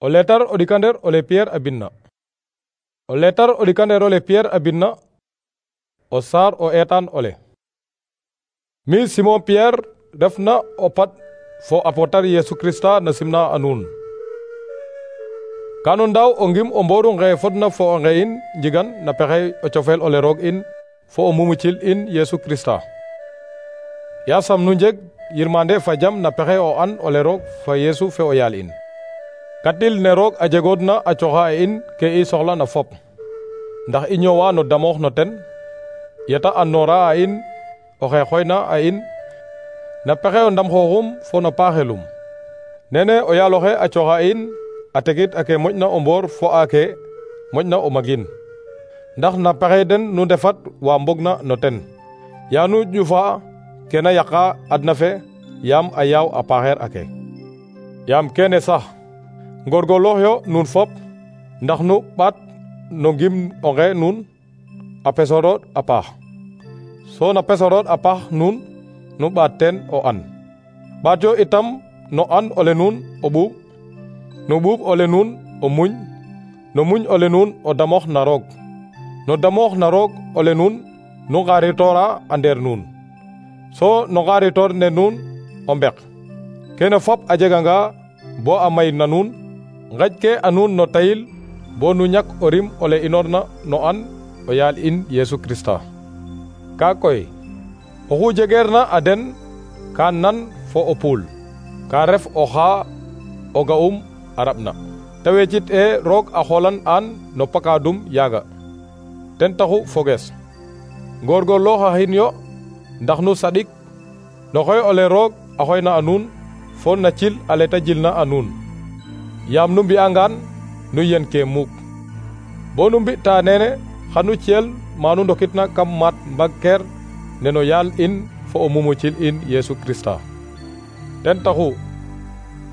O letar o ɗikander ole Pierre a binna. O letar o ɗikander ole Pierre a binna o saar o eetaan ole. Mi Simon Pierre refna o pat fo apotar Yesu Krista na simna a nuun. Kanu ndaw o ngim o mboru nge fodna fo o nge in njigan na pexey o cofeel ole roog in fo o mumucil in Yesu Krista. Yasam nu njeg yirmande fa jam na pexey o an ole roog fa Yesu fe o yaal in. Katil ne roog a jegoodna a coxa in ke i soxla na fop, ndax i ñoowa no damoox no ten, yeta andnoora a in oxe xoyna a in na pexe o ndam xooxum fo no paaxelum. Nene o yaal oxe a coxa in a tegit ake moƴna o mboor fo ake moƴna o magin, ndax na pexey den nu ndefat wa mbogna no ten, ya nu ƴufa ke na yaqa adna fe yaam a yaaw a paaxeer ake. Yaam kene sax ngorgorlooxyo nuun fop ndax nu ɓaat no ngim onge nuun a pesorood a paax. So na pesorood a paax nuun nu ɓaat teen o an. Ɓaatyo itam no an ole nuun o ɓuuɓ, no ɓuuɓ ole nuun o muñ, no muñ ole nuun o damoox na roog, no damoox na roog ole nuun nu ngaritoora a ndeer nuun, so no ngaritoor ne nuun o mbek. Kene fop a jeganga bo a may na nuun, nqaƴke a nuun no tayil bo nu ñak o rim ole inoorna no an o yaal in Yesu Krista. Kaa koy oxu jegeerna a den ka nan fo o puul, ka ref oxa o ga'um a raɓna. Te wecit roog a xoolan an no pakaadum yaaga. Ten taxu fogees ngorgorlooxaxin yo ndax nu saɗik no xoy ole roog a xoyna a nuun fo na cil ale ta jilna a nuun. Yaam nu mbi'angaan nu yen ke muuk. Bo nu mbi'ta nene xanu ciyel ma nu ndokitna kam maat mbagkeer ne no yaal in fo o mumucil in Yesu Krista. Ten taxu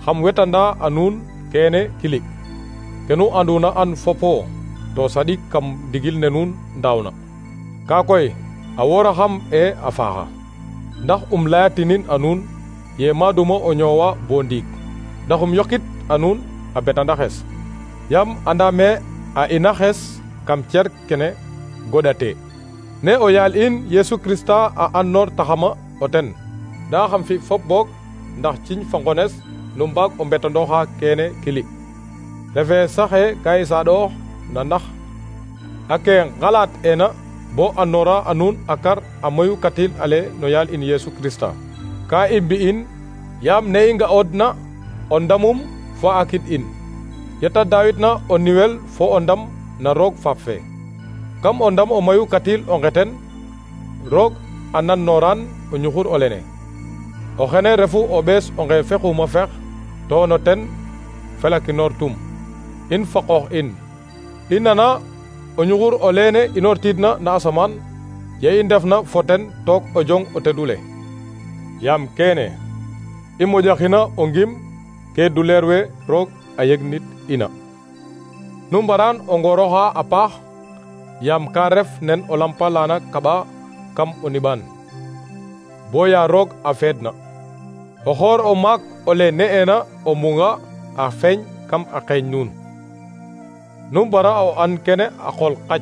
xam wetanda a nuun kene kilik, ke nu anduna an fopo to saɗik kam ndigil ne nuun ndaawna. Kaa koy a wooraxam a faaxa, ndax layatinin a nuun ye maaduma o ñoowa bo ndiig, ndax yoqit a nuun a betandaxes. Yaam andame a ina xes kam cer kene goɗate. Ne o yaal in Yesu Krista a andnoor taxama o ten, nda xam fi fop boog ndax ciñ fa ngones nu mbaag o mbetandooxa kene kilik. Refe saxe ka i saaɗoox na ndax ake ngalaat ena bo andnoora a nuun a kar a moyu katil ale no yaal in Yesu Krista. Ka i mbi'in yaam ne i nga'oodna o ndamum fo a kid in, yeta daawitna o niwel fo o ndam na roog faap fe. Kam o ndam o mayu katil o ngeten, roog a nannooraan o ñuxur olene. O xene refu o ɓees o nge fexuma fex to no ten felakinoor tum in fa qoox in. I nana o ñuxur oleene inoortiidna na asamaan ye i ndefna fo ten took o jong o tedule. Yaam kene i moƴaxina o ngim ke duleer we roog a yegnit ina. Nu mbaraan o ngorooxa a paax, yaam ka ref nen o lampa lana kaɓa kam o niɓaan, bo ya roog a feedna. O xoor o maak ole ne'eena o munga a feeñ kam a qeeñ nuun. Nu mbara o an kene a qool qac.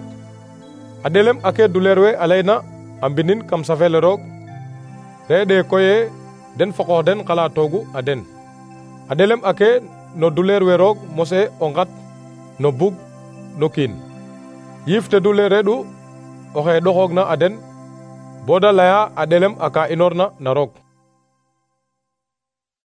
A ɗelem ake duleer we a layna a mbinin kam safeele roog, reɗe koye den fa qoox den xalatoogu a den. A ɗelem ake no duleer we roog mose o ngat no bug no kiin. Yiif te duleer reɗu oxe ɗoxoogna a den bo da laya a ɗelem aka inoorna na roog.